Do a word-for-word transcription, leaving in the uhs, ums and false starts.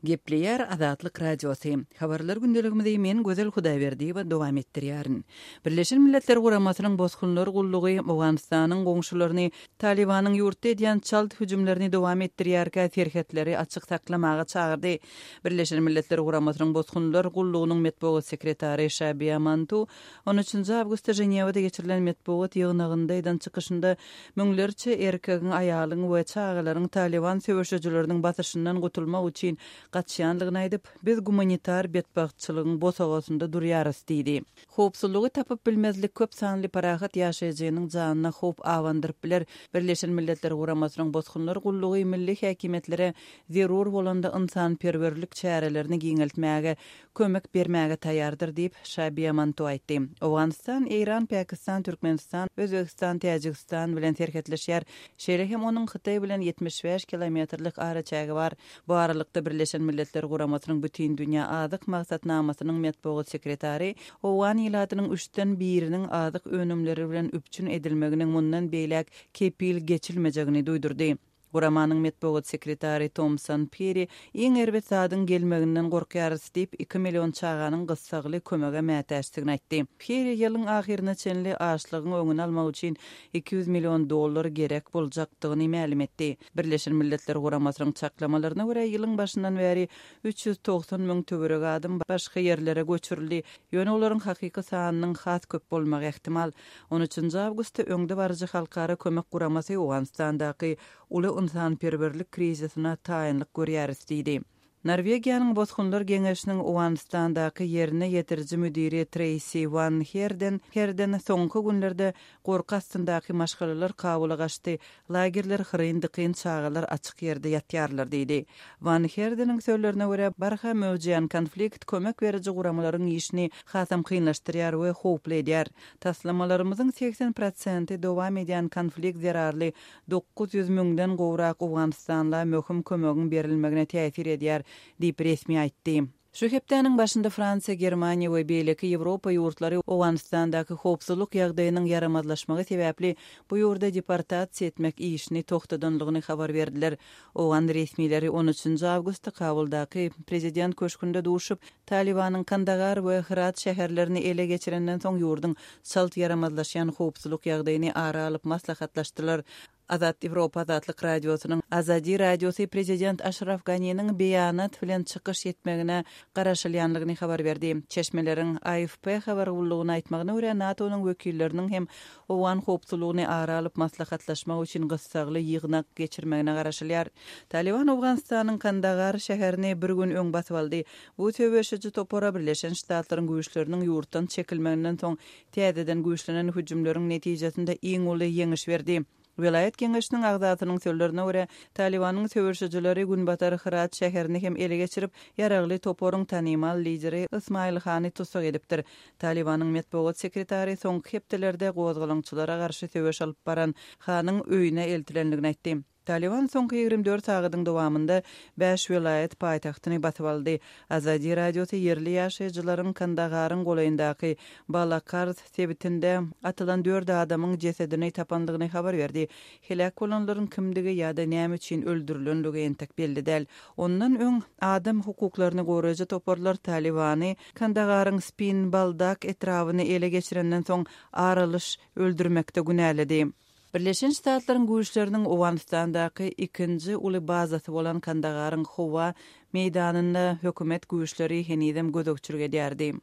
Gepleýär Azatlyk Radiosy. Habarlar gündeligimizi men Gözel Hudaýberdiýewa dowam etdirýärin. Birleşen Milletler Guramasynyň Bosgunlar gullugy Owganystanyň goňşularyny Talibanyň ýurtda edýän çalt hüjümlerini dowam etdirýärkä serhetleri açyk saklamaga çagyrdy. Birleşen Milletler Guramasynyň Bosgunlar gullugynyň metbugat sekretary Şabiýa Mantu on üçünji awgustda Ženewada geçirilen metbugat ýygnagynda eden çykyşynda müňlerçe erkegiň, aýalyň we çagalaryň Taliban söweşijileriniň basyşyndan gutulmak üçin gaçýanlygyny aýdyp, biz gumanitar betbagtçylygyň bosagasynda durýarys diýdi. Howpsuzlygy tapyp bilmezlik köp sanly parahat ýaşaýjynyň janyna howp abandyryp biler. Birleşen Milletler Guramasynyň Bosgunlar gullugy milli häkimiýetlere zerur bolanda ynsanperwerlik çärelerini giňeltmäge kömek bermäge taýýardyr diýip, Şabiýa Manto aýtdy. Owganystan, Eýran, Pakistan, Türkmenistan, Özbegistan, Täjigistan bilen serhetleşýär. Şeýle hem onuň Hytaý bilen ýetmiş bäş kilometrlik araçägi bar. Bu aralykda Birleşen Milletler Guramasynyň Bütindünýä azyk maksatnamasynyň metbugat sekretary owgan ilatynyň üçden biriniň azyk önümleri bilen üpjün edilmeginiň mundan beýläk kepil geçilmejegini duýdurdy. Guramanyň metbugat sekretary Tomson Piri iň erbet zadyň gelmeginden gorkýarys diýip, iki million çaganyň gyssagly kömege mätäçdigini aýtdy. Piri ýylyň ahyryna çenli açlygyň öňüni almak üçin iki ýüz million dollar gerek boljakdygyny mälim etdi. Birleşen Milletler Guramasynyň çaklamalaryna görä, ýylyň başyndan bäri üç ýüz togsan müň töweregi adam başga ýerlere göçürildi. Ýöne olaryň hakyky sanynyň has köp bolmagy ähtimal. On üçünji awgustda öňde baryjy halkara kömek guramasy Owganystandaky uly ynsanperwerlik krizisine taýynlyk görýäris diýdi. Norwegiýanyň Bosgunlar geňeşiniň Owganystandaky ýerine ýetiriji müdiri Treýsi Wan Herden Herden soňky günlerde gorky astyndaky maşgalalar Kabula gaçdy, lagerler hyryn-dykyn, çagalar açyk ýerde ýatýarlar diýdi. Wan Herdeniň sözlerine görä, barha möwjeýän konflikt kömek beriji guramalaryň işini hasam kynlaşdyrýar we howply edýär. Taslamalarymyzyň segsen prosenti dowam edýän konflikt zerarly dokuz ýüz müňden gowrak Owganystanla möhüm kömegiň berilmegine täsir edýär, diýip resmi aýtdy. Şu hepdäniň başynda Fransiýa, Germaniýa we beýleki Ýewropa ýurtlary Owganystandaky howpsuzlyk ýagdaýynyň ýaramazlaşmagy sebäpli bu ýurda deportasiýa etmek işini toxtadanlygyny habar berdiler. Owgan resmileri on üçünji awgustda Kabuldaky prezident köşgünde duşup, Talibanyň Kandahar we Hyrat şäherlerini ele geçirenden soň ýurduň çalt ýaramazlaşýan howpsuzlyk ýagdaýyny ara alyp maslahatlaşdylar. Azat Ýewropa Azatlyk Radiosynyň Azadi Radiosy prezident Aşraf Ganiniň beýanat bilen çykyş etmegine garaşylýanlygyny habar berdi. Çeşmeleriň A F P habar gullugyna aýtmagyna görä, NATO-nyň wekilleriniň hem owgan howpsuzlygyny ara alyp maslahatlaşmak üçin gyssagly ýygnak geçirmegine garaşylýar. Taliban Owganystanyň Kandahar şäherini bir gün öň basyp aldy. Bu söweşiji topara Birleşen Ştatlaryň güýçleriniň ýurtdan çekilmeginden soň täzeden güýçlenen hüjümleriň netijesinde iň uly ýeňiş berdi. Welaýat geňeşiniň agzasynyň sözlerine görä, Talibanyň söweşijileri Günbatar Hyrat şäherini hem ele geçirip, ýaragly toparyň tanymal lideri Ismail Hany tussag edipdir. Talibanyň metbugat sekretary soňky hepdelerde gozgalaňçylara garşy söweş alyp baran Hanyň öýüne eltilendigini aýtdy. Taliban soňky ýigrimi dört sagadyň dowamynda bäş welaýat paýtagtyny basyp aldy. Azadi radiosy ýerli ýaşaýjylaryň Kandaharyň golaýyndaky Balakarz sebitinde atylan dört adamyň jesedini tapandygyny habar berdi. Heläk bolanlaryň kimdigi ýa-da näme üçin öldürilenligi entek belli däl. Ondan öň adam hukuklaryny goraýjy toparlar Talibany Kandaharyň Spin Baldak etrabyny ele geçirenden soň aralyş öldürmekde günäledi. Birleşen Ştatlaryň güýçleriniň Owganystandaky ikinji uly bazasy bolan Kandaharyň howa meýdanynda hökümet güýçleri henizem gözegçilik edýärdi.